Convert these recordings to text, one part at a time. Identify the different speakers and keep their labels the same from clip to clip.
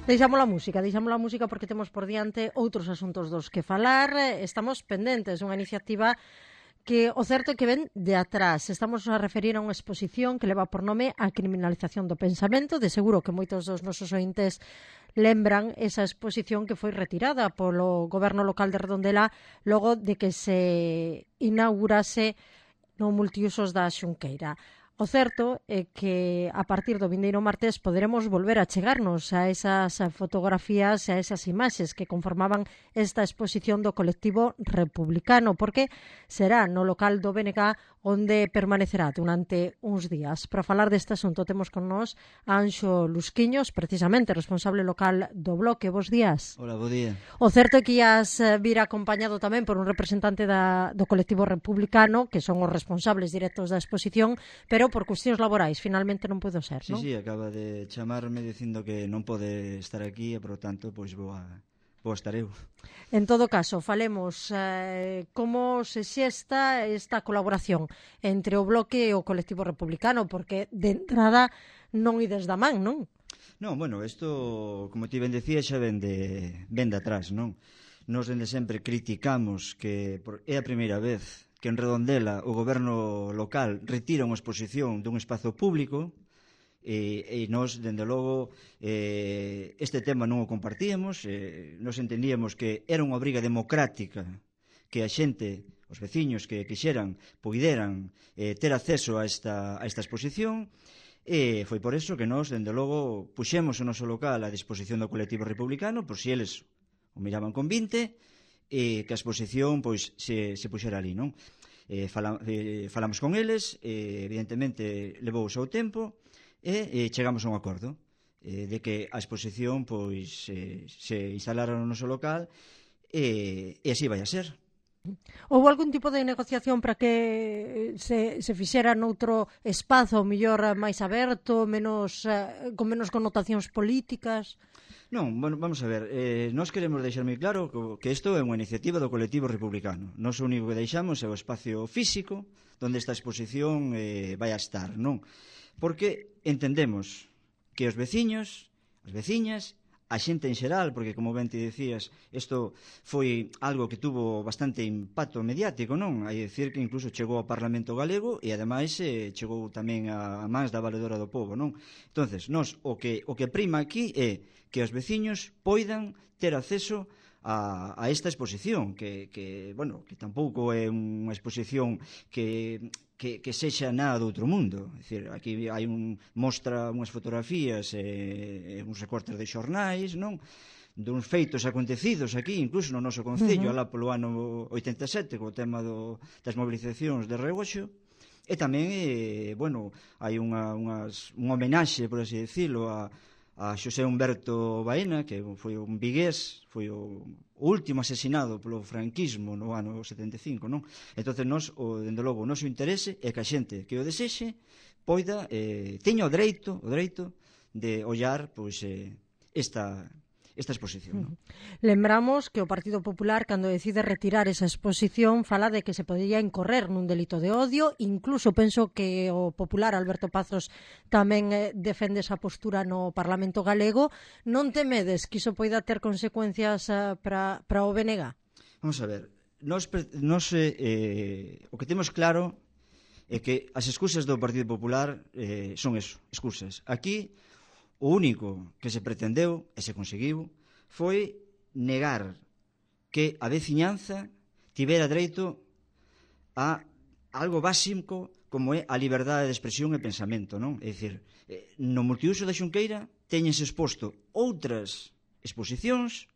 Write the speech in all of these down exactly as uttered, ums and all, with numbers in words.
Speaker 1: Deixamos a música, deixamos a música porque temos por diante outros asuntos dos que falar. Estamos pendentes dunha iniciativa que o certo é que ven de atrás. Estamos a referir a unha exposición que leva por nome a criminalización do pensamento. De seguro que moitos dos nosos ointes lembran esa exposición que foi retirada polo goberno local de Redondela logo de que se inaugurase no multiusos da Xunqueira. O certo é que a partir do vindeiro martes poderemos volver a chegarnos a esas fotografías e a esas imaxes que conformaban esta exposición do colectivo republicano, porque será no local do B N G onde permanecerá durante uns días. Para falar deste asunto temos con nós a Anxo Lusquiños, precisamente responsable local do Bloque. Bos días.
Speaker 2: Hola, bo día.
Speaker 1: O certo é que ias vir acompañado tamén por un representante da, do colectivo republicano, que son os responsables directos da exposición, pero por cuestións laborais, finalmente non pudo ser,
Speaker 2: sí,
Speaker 1: non?
Speaker 2: Sí, sí, acaba de chamarme dicindo que non pode estar aquí e, por tanto, pois vou a, vou a estar eu.
Speaker 1: En todo caso, falemos eh, como se xesta esta colaboración entre o Bloque e o colectivo republicano, porque de entrada non ides da man, non?
Speaker 2: Non, bueno, isto, como ti ben decía, xa ven de, ven de atrás, non? Nos dende sempre criticamos que por, é a primeira vez que en Redondela o goberno local retira unha exposición dun espazo público e, e nos, dende logo, eh, este tema non o compartíamos, eh, nos entendíamos que era unha obriga democrática que a xente, os veciños que quixeran, poideran eh, ter acceso a esta, a esta exposición, e foi por eso que nos, dende logo, puxemos o noso local a disposición do colectivo republicano, por si eles o miraban con vinte, e que a exposición pois se, se puxera ali, non? Eh, fala, eh, falamos con eles, eh, evidentemente levou o seu tempo e eh, chegamos a un acordo eh, de que a exposición pois eh, se instalara no noso local e, e así vai a ser.
Speaker 1: Houve algún tipo de negociación para que se, se fixera noutro espazo, mellor máis aberto, menos, eh, con menos connotacións políticas?
Speaker 2: Non, bueno, vamos a ver, eh, nós queremos deixar moi claro que isto é unha iniciativa do colectivo republicano. Nós o único que deixamos é o espacio físico onde esta exposición eh, vai a estar, non? Porque entendemos que os veciños, as veciñas, a xente en xeral, porque como ben te dicías, isto foi algo que tuvo bastante impacto mediático, non? Hai dicir que incluso chegou ao Parlamento Galego e ademais eh, chegou tamén a, a mans da Valedora do Pobo, non? Entonces, nós o que, o que prima aquí é que os veciños poidan ter acceso a, a esta exposición, que, que, bueno, que tampouco é unha exposición que... Que, que sexa nada do outro mundo. É dicir, aquí hai un mostra unhas fotografías e, e uns recortes de xornais, non? Duns feitos acontecidos aquí, incluso no noso concello, uh -huh. alá polo ano oitenta e sete, co tema do, das mobilizacións de Regoxo, e tamén, eh, bueno, hai unha, unhas, un homenaxe, por así decirlo, a, a Xosé Humberto Baena, que foi un vigués, foi o último asesinado polo franquismo no ano setenta e cinco, non? Entonces, nós, o, dende logo, o noso interese é que a xente que o desexe poida, eh, teña o dereito, o dereito de ollar, pois, eh, esta... esta exposición, non?
Speaker 1: Lembramos que o Partido Popular, cando decide retirar esa exposición, fala de que se podría incorrer nun delito de odio. Incluso penso que o popular Alberto Pazos tamén eh, defende esa postura no Parlamento Galego. Non temedes que iso poida ter consecuencias eh, para, para o B N G?
Speaker 2: Vamos a ver, nos, nos, eh, o que temos claro é que as excusas do Partido Popular eh, son eso, excusas. Aquí o único que se pretendeu, e se conseguiu, foi negar que a veciñanza tivera dereito a algo básico como é a liberdade de expresión e pensamento, non? É dicir, no multiuso da Xunqueira teñense exposto outras exposicións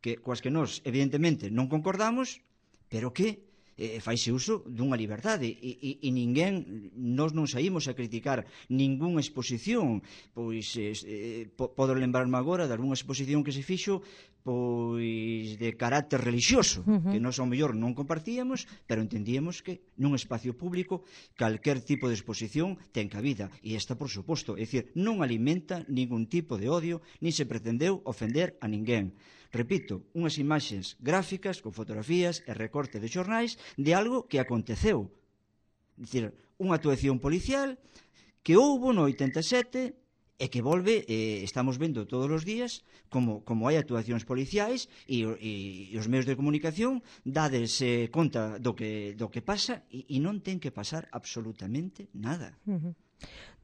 Speaker 2: que, coas que nós, evidentemente, non concordamos, pero que eh, faise uso dunha liberdade e, e, e ninguén, nós non saímos a criticar ningunha exposición, pois eh, podo lembrarme agora de algunha exposición que se fixo pois de carácter religioso, uh -huh. que nós ao mellor non compartíamos, pero entendíamos que nun espacio público calquer tipo de exposición ten cabida, e esta por suposto, é dicir, non alimenta ningún tipo de odio, nin se pretendeu ofender a ninguén. Repito, unhas imaxes gráficas con fotografías e recorte de xornais de algo que aconteceu. É dicir, unha actuación policial que houbo no oitenta e sete e que volve, eh, estamos vendo todos os días como, como hai actuacións policiais e, e, e os medios de comunicación dades eh, conta do que, do que pasa e, e non ten que pasar absolutamente nada.
Speaker 1: Uh-huh.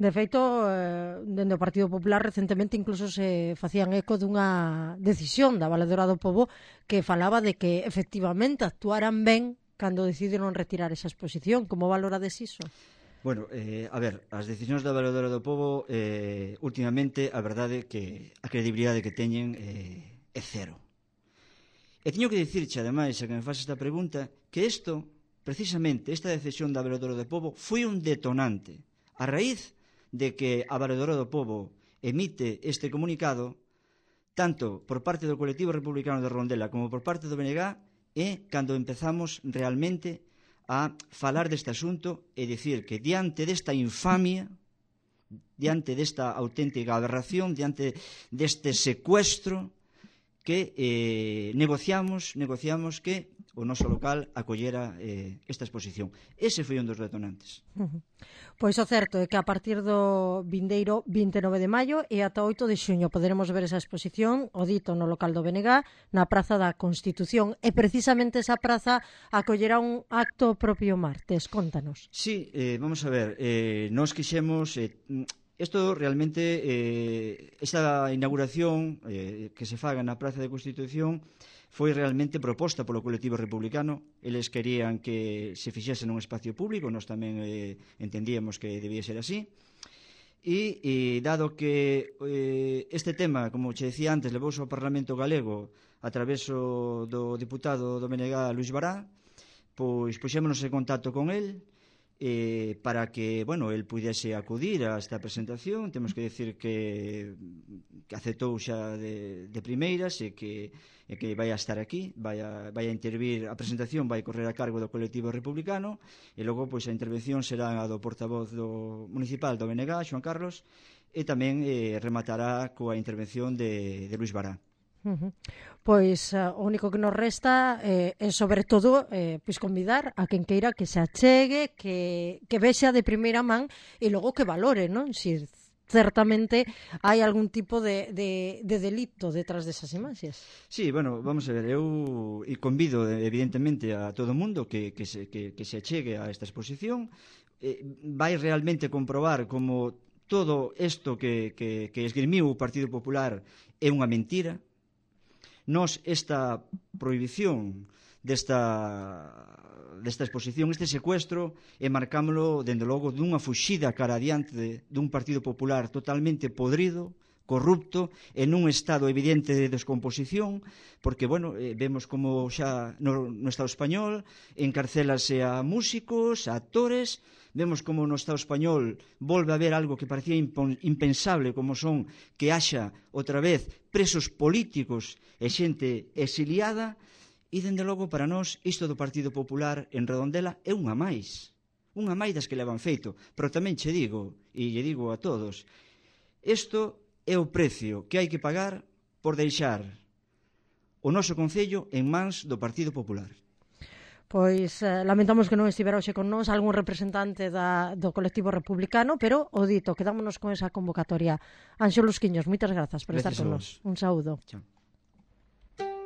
Speaker 1: De feito, eh, dende o Partido Popular recentemente incluso se facían eco dunha decisión da Valedora do Pobo que falaba de que efectivamente actuaran ben cando decidiron retirar esa exposición. Como valorades iso?
Speaker 2: Bueno, eh, a ver, as decisións da Valedora do Pobo eh, últimamente a verdade que a credibilidade que teñen eh, é cero. E teño que dicirche, ademais, a que me faz esta pregunta, que isto, precisamente, esta decisión da Valedora do Pobo foi un detonante. A raíz de que a Valedora do Pobo emite este comunicado, tanto por parte do colectivo republicano de Rondela como por parte do B N G, é cando empezamos realmente a falar deste asunto e dicir que diante desta infamia, diante desta auténtica aberración, diante deste secuestro, que eh, negociamos, negociamos que o noso local acollera eh, esta exposición. Ese foi un dos detonantes.
Speaker 1: Uh-huh. Pois o certo é que a partir do vindeiro vinte e nove de maio e ata oito de xuño poderemos ver esa exposición, o dito no local do B N G, na Praza da Constitución, e precisamente esa praza acollera un acto propio martes. Contanos.
Speaker 2: Sí, eh, vamos a ver, eh, nós quixemos... Eh, Isto realmente, eh, esta inauguración eh, que se faga na Praza da Constitución foi realmente proposta polo colectivo republicano. Eles querían que se fixese nun espacio público, nós tamén eh, entendíamos que debía ser así. E, e dado que eh, este tema, como che decía antes, levouse ao Parlamento Galego a través do diputado do B N G, Luís Bará, pois puxémonos en contacto con el, Eh, para que, bueno, el puidese acudir a esta presentación. Temos que decir que, que aceptou xa de, de primeiras e que, e que vai a estar aquí, vai a, vai a intervir, a presentación vai correr a cargo do colectivo republicano e logo pois a intervención será a do portavoz do municipal do B N G, Xoan Carlos, e tamén eh, rematará coa intervención de, de Luís Bará.
Speaker 1: Uh-huh. Pois uh, o único que nos resta eh, é sobre todo eh, pois convidar a quen queira que se achegue, que, que vexa de primeira man e logo que valore, non? Si certamente hai algún tipo de, de, de delito detrás desas imaxes.
Speaker 2: Sí, bueno, vamos a ver, eu e convido evidentemente a todo o mundo que, que, se, que, que se achegue a esta exposición. Eh, vai realmente comprobar como todo isto que, que, que esgrimiu o Partido Popular é unha mentira. Nos esta prohibición desta, desta exposición, este secuestro, e marcámoslo, dende logo, dunha fuxida cara adiante de, dun Partido Popular totalmente podrido, corrupto, en un estado evidente de descomposición, porque, bueno, eh, vemos como xa no, no Estado español encarcelase a músicos, a actores. Vemos como no Estado español volve a haber algo que parecía impensable, como son que haxa outra vez presos políticos e xente exiliada, e, dende logo, para nós, isto do Partido Popular en Redondela é unha máis, unha máis das que levan feito. Pero tamén che digo, e lle digo a todos, isto é o precio que hai que pagar por deixar o noso concello en mans do Partido Popular.
Speaker 1: Pois eh, lamentamos que non estivera hoxe con nós algún representante da, do colectivo republicano, pero o dito, quedámonos con esa convocatoria. Anxo Lusquiños, moitas grazas por
Speaker 2: Gracias
Speaker 1: estar con nós. Un saúdo.
Speaker 2: Chao.